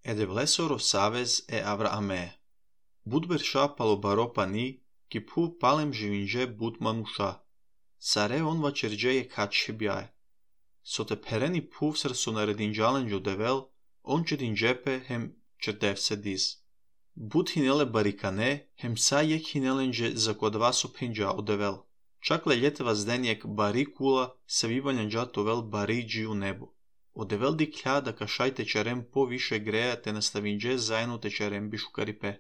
Edevlesoro savez e Avraame. Budberša palobaro pani, ki puv palem živinže bud manusha. Sare on vačerđe je kačhe bjaje. Sote pereni puv sar sonaredinđalen jodevel, on čedinđepe hem čerdevse diz. Bud hinele barikane, hem sa jek hinelenđe za kodvaso penđa odevel. Čakle ljeteva zdenjek bari kula, se vivaljanđa tovel bari dži u nebu. Odevel diklja da kašaj tečerem po više greja te nastavinđe zajedno tečerem bišu karipe.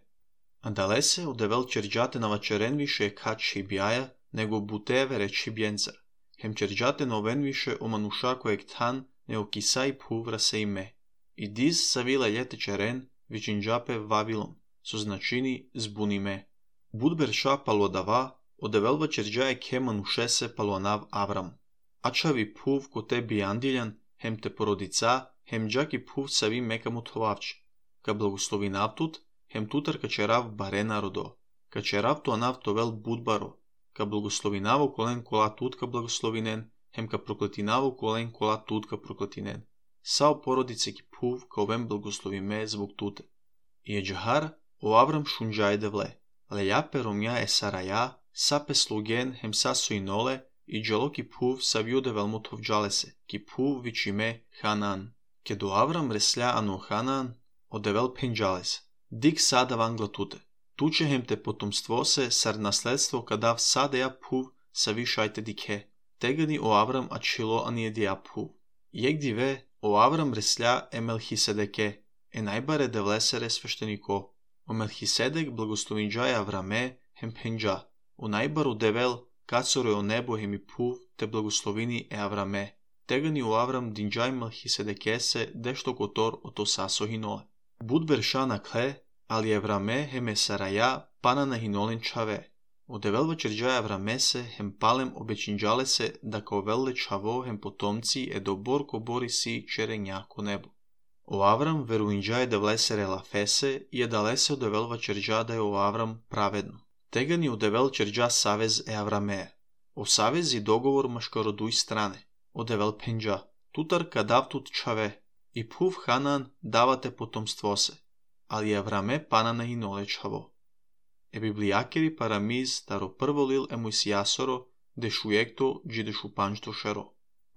Andalese odevel čerđate na vačeren više je kačhe bjaja, nego buteve reči bjencar. Hem čerđate noven više o manuša kojeg tan ne okisaj puvra se ime. I diz savila ljete čeren, vičinđape Vavilon, so značini zbunime. Budberša palodava, odevel vačerđaje ke manušese palonav Avram. Ačavi puv ko te bijandiljan, hem te porodica, hem džaki puv savi mekamu tovavč. Ka blagoslovi naptut, hem tutar kačerav bare narodo. Kačerav to anav tovel budbaro. Ka blagoslovinavo kolen kola tutka blagoslovinen, hem ka prokletinavo kolen kola tutka prokletinen. Sao porodice ki puv ka ovem blagoslovi me zbog tute. I je džahar o Avram šunđaje devle. Lejape romja e saraja, sape slugen hem saso inole, i dželo ki puv savio devel motov džalese, ki puv vičime Hanan. Ke do Avram reslja ano Hanan, odevel penđales. Dik sada vangla tute. Tuče hem te potomstvo se sar nasledstvo kadav sadeja puv savi šajte dike. Tegani o Avram ačilo anijedija puv. Jek dive o Avram reslja e Melhisedeke, e najbare devlesere svešteniko. O Melhisedek blagoslovinđaje Avrame hem penđa. O najbaru devel kacoro o nebo hem i puv te blagoslovini e Avrame. Tegani o Avram dinđaj Melhisedekese dešto kotor o to saso hinole. Budberša na kle, ali Avrame hem e saraja pana na hinolen čave. Odevel vačerđaja Avrame se hem palem obećinđale se da kao velle čavo hem potomci e dobor ko bori si čerenja ko nebo. O Avram veruinđaje devlesere lafese i edalese odevel vačerđa da je o Avram pravedno. Tegani odevel čerđa savez e Avrame. O savez i dogovor maškaroduj strane. Odevel penđa. Tutar kadavtut čave. I puv Hanan davate potomstvo se. Ali Avrame pana na hinole čavo. E biblijakeri paramiz taro prvo lil emuis jasoro, de šujekto dži de šupančto šero.